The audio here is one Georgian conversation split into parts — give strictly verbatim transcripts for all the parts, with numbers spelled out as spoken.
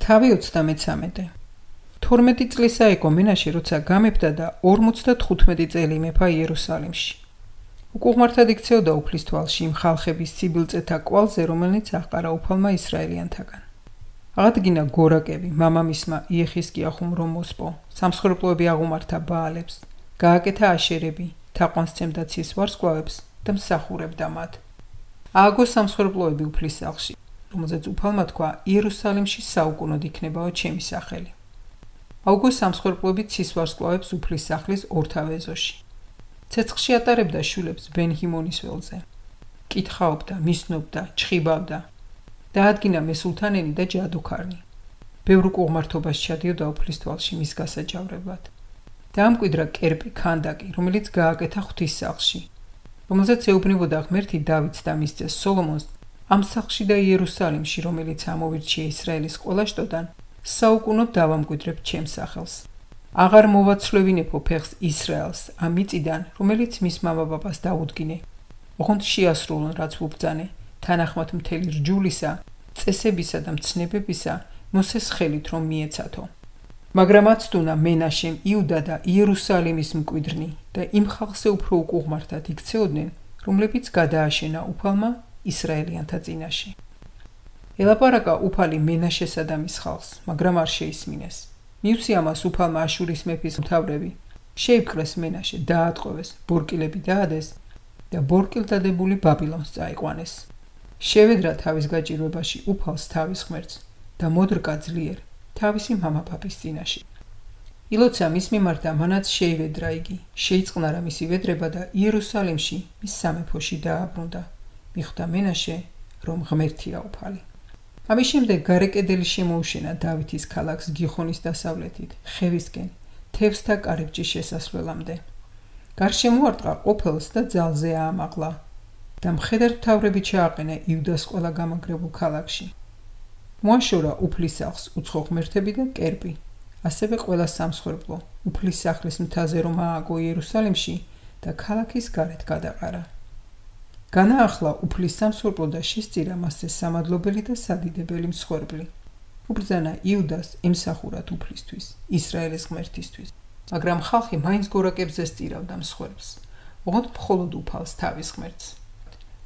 თავი ოცდამეცამეტე. თორმეტი წლისა იყო მენაშე, როცა გამეფდა და ორმოცდათხუთმეტი წელი იმეფა იერუსალიმში. უკუღმართად იქცეოდა უფლის თვალში იმ ხალხების სიბილწეთა კვალზე, რომელნიც აჰყარა უფალმა ისრაელიანთაგან. აღადგინა გორაკები, მამამისმა იეხისკიახუმ რომ მოსპო, სამსხვერპლოები აღუმართა ბაალებს, გააკეთა აშერები, თაყვანს სცემდა ცის ვარსკვლავებს და მსახურებდა მათ. ააგო სამსხვერპლოები უფლის სახლში, რომელზეც უფალმა თქვა, იერუსალიმში საუკუნოდ იქნებაო ჩემი სახელი. აუგო სამსხვერპლოები ცის ვარსკვლავებს უფლის სახლის ორთავ ეზოში. ცეცხლში ატარებდა შვილებს ბენ-ჰიმონის ველზე. კითხაობდა, მისნობდა, ჩხიბავდა. დაადგინა მესულთანენი და ჯადოქარნი. ბევრ უკუღმართობას ჩადიოდა უფლის თვალში მის გასაჯავრებლად. დაამკვიდრა კერპი ქანდაკი, რომელიც გააკეთა ღვთის სახლში, რომელზეც ეუბნებოდა ღმერთი დავითს და მის ძეს სოლომონს, ამ სახლში და იერუსალიმში, რომელიც ამოვირჩია ისრაელის ყველა შტოდან, საუკუნოდ დავამკვიდრებ ჩემს სახელს. აღარ მოვაცვლევინებო ფეხს ისრაელს ამ მიწიდან, რომელიც მის მამაპაპას დაუდგინე. ოღონდ შეასრულონ, რაც ვუბრძანე, თანახმად მთელი რჯულისა, წესებისა და მცნებებისა, მოსეს ხელით რომ მიეცათო. მაგრამ აცდუნა მენაშემ, იუდა და იერუსალიმის მკვიდრნი და იმ ხალხზე უფრო უკუღმართად იქცეოდნენ, რომლებიც გადააშენა უფალმა ისრაელიანთა წინაშე. ელაპარაკა უფალი მენაშესა და მის ხალხს, მაგრამ არ შეისმინეს. მიუცი ამას უფალმა აშურის მეფის მთავრები, შეიპყრეს მენაშე, დაატყვევეს, ბორკილები დაადეს და ბორკილდადებული ბაბილონს წაიყვანეს. შევედრა თავის გაჭირვებაში უფალს თავის ღმერთს და მოდრკა ძლიერ თავისი მამაპაპის წინაშე. ილოცა მის მიმართ და მანაც შეივედრა იგი, შეიწყნარა მისი ვედრება და იერუსალიმში მის სამეფოში დააბრუნდა. მიხვდა მენაშე, რომ ღმერთია უფალი. ამის შემდეგ გარე კედელი შემოუშენა დავითის ქალაქს გიხონის დასავლეთით, ხევისკენ, თევსთა კარიბჭის შესასვლელამდე. გარშემო არტყა ყოფელს და ძალზე აამაღლა და მხედართმთავრები ჩააყენა იუდას ყველა გამაგრებულ ქალაქში. მოაშორა უფლის სახლს უცხო ღმერთები და კერპი, ასევე ყველა სამსხვერპლო, უფლის სახლის მთაზე რომ ააგო იერუსალიმში და ქალაქის გარეთ გადაყარა. განაახლა უფლის სამსხვერპლო და შესწირა მასზე სამადლობელი და სადიდებელი მსხვერპლი. უბრძანა იუდას ემსახურად უფლისთვის, ისრაელის ღმერთისთვის, მაგრამ ხალხი მაინც გორაკებზე სწირავდა მსხვერპლს, ოღონდ მხოლოდ უფალს თავის ღმერთს.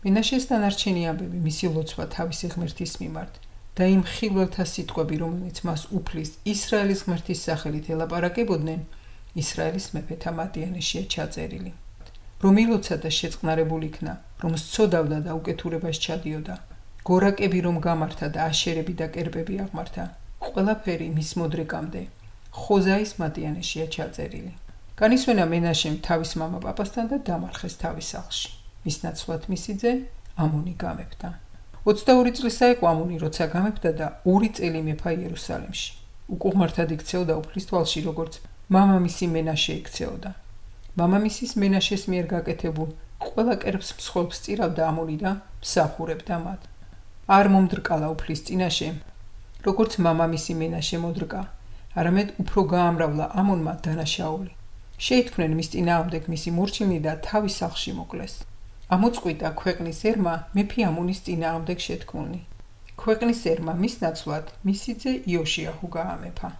მენაშეს დანარჩენი ამბები, მისი ლოცვა თავისი ღმერთის მიმართ და იმ ხილველთა სიტყვები, რომელიც მას უფლის ისრაელის ღმერთის სახელით ელაპარაკებოდნენ, ისრაელის მეფეთა მატიანეშია ჩაწერილი. რომ ილოცა და შეწყნარებული იქნა, რომ სწოდავდა და უკეთურებას ჩადიოდა, გორაკები რომ გამართა და აშერები და კერპები აღმართა, ყველაფერი მის მოდრეკამდე ხოზაის მატიანეშია ჩაწერილი. განისვენა მენაშემ თავის მამაპაპასთან და დამარხეს თავის სახლში. მის ნაცვლად მისი ძე ამონი გამეფდა. ოცდაორი წლისა იყო ამონი, როცა გამეფდა და ორი წელი მეფა იერუსალიმში. უკუღმართად იქცეოდა უფლის თვალში, როგორც მამამისი მენაშე იქცეოდა. მამამისის მენაშეს მიერ გაკეთებულ ყველა კერპს მსხვერპლს სწირავდა ამონი და მსახურებდა მათ. არ მომდრკალა უფლის წინაშე, როგორც მამამისი მენაშე მოდრკა, არამედ უფრო გაამრავლა ამონმა დანაშაული. შეითქმნენ მის წინააღმდეგ მისი მორჩილნი და თავის სახლში მოკლეს. ამოწყვიტა ქვეყნის ერმა მეფე ამონის წინააღმდეგ შეთქმულნი. ქვეყნის ერმა მის ნაცვლად მისი ძე იოშიაჰუ გაამეფა.